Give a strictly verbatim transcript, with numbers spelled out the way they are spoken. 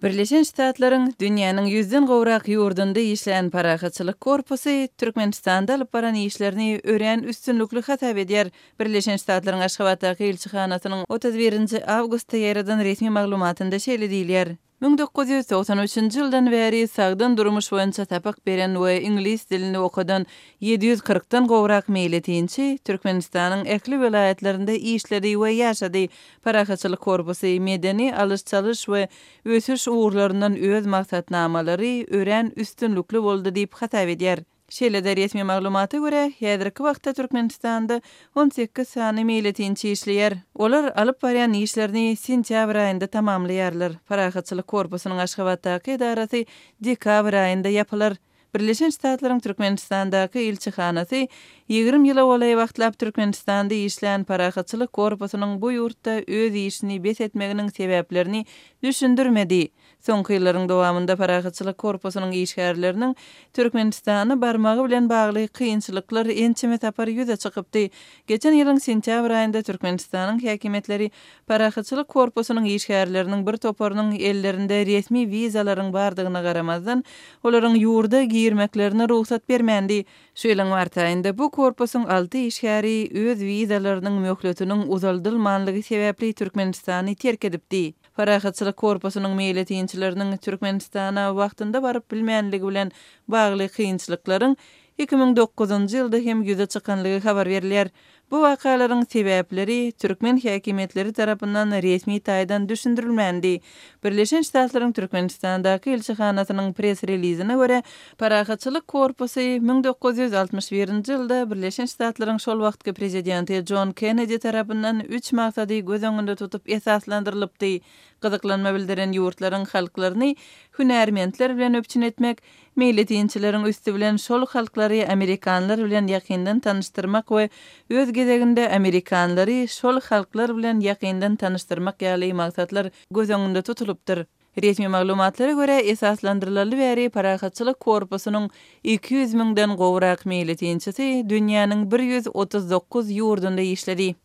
Birleşen Ştatlaryň dünýäniň ýüzden gowrak ýurdunda işleýän Parahatçylyk korpusy Türkmenistanda alyp baran işlerini örän üstünlikli hasap edýär. Birleşen Ştatlaryň Aşgabatdaky ilçihanasynyň otuz birinji awgustda ýaýradan resmi maglumatynda şeýle diýilýär. Müň dokuz ýüz togsan üçünji ýyldan bäri sagdyn durmuş boýunça sapak beren we iňlis dilini okadan ýedi ýüz kyrkdan gowrak meýletinçi Türkmenistanyň ähli welaýatlarynda işledi we ýaşady. Parahatçylyk korpusy medeni alyş-çalyş we ösüş ugurlaryndan öz maksatnamalary örän üstünlikli boldy diýip hasap edýär. Şeýle-de resmi maglumata görä, häzirki wagtda Türkmenistanda on sekiz sany meýletinçi işleýär. Olar alyp barýan işlerini sentýabr aýynda tamamlaýarlar. Parahatçylyk korpusynyň Aşgabatdaky edarasy dekabr aýynda ýapylar. Birleşen Ştatlaryň Türkmenistandaky ilçihanasy ýigrimi ýyla golaý wagtlap Türkmenistanda işlän Parahatçylyk korpusynyň bu ýurtda öz işini bes etmeginiň sebäplerini düşündirmedi. Soňky ýyllaryň dowamynda Parahatçylyk korpusynyň işgärleriniň Türkmenistana barmagy bilen bagly kynçylyklar ençeme sapar ýüze çykypdy. Geçen ýylyň sentýabr aýynda Türkmenistanyň häkimiýetleri Parahatçylyk korpusynyň işgärleriniň bir toparynyň ellerinde resmi wizalaryň bardygyna garamazdan, olaryň ýurda girmeklerine rugsat bermändi. Şu ýylyň mart aýynda bu korpusyň alty işgäri öz wizalarynyň möhletiniň uzaldylmanlygy sebäpli Türkmenistany terk edipdi. Parahatçylyk korpusynyň meýletinçileriniň Türkmenistana wagtynda baryp bilmänligi bilen bagly kynçylyklaryň iki müň dokuzynjy ýylda hem ýüze çykanlygy habar berilýär. Bu wakalaryň sebäpleri türkmen häkimiýetleri tarapyndan resmi taýdan düşündirilmändi. Birleşen Ştatlaryň Türkmenistandaky ilçihanasynyň pres-relizine görä, Parahatçylyk korpusy müň dokuz ýüz altmyş birinji ýylda Birleşen Ştatlaryň şol wagtky prezidenti Jon Kennedi tarapyndan üç maksady göz öňünde tutup esaslandyrylypdy. Gyzyklanma bildiren ýurtlaryň halklaryny hünärmentler bilen üpjün etmek, meýletinçileriň üsti bilen şol halklary amerikanlar bilen ýakyndan tanyşdyrmak we öz gezeginde amerikanlary şol halklar bilen ýakyndan tanyşdyrmak ýaly maksatlar göz öňünde tutulypdyr. Resmi maglumatlara görä, esaslandyrylaly bäri Parahatçylyk korpusynyň iki ýüz müňden gowrak meýletinçisi dünýäniň bir ýüz otuz dokuz ýurdunda işledi.